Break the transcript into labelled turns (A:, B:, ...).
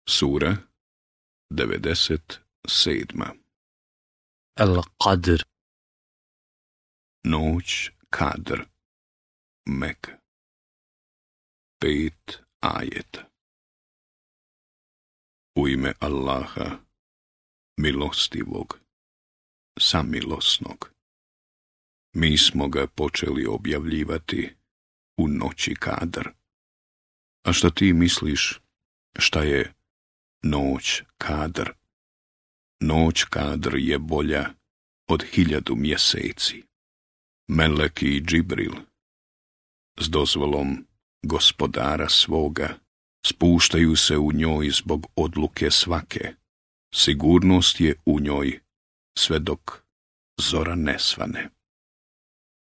A: Sura 97.
B: Al-Qadr.
A: Noć Kadr. Mek. 5 ajeta. U ime Allaha, milostivog, samilosnog. Mi smo ga počeli objavljivati u noći Kadr. A što ti misliš, šta je noć Kadr? Noć Kadr je bolja od 1000 mjeseci. Melek i Džibril, s dozvolom gospodara svoga, spuštaju se u njoj zbog odluke svake. Sigurnost je u njoj sve dok zora ne svane.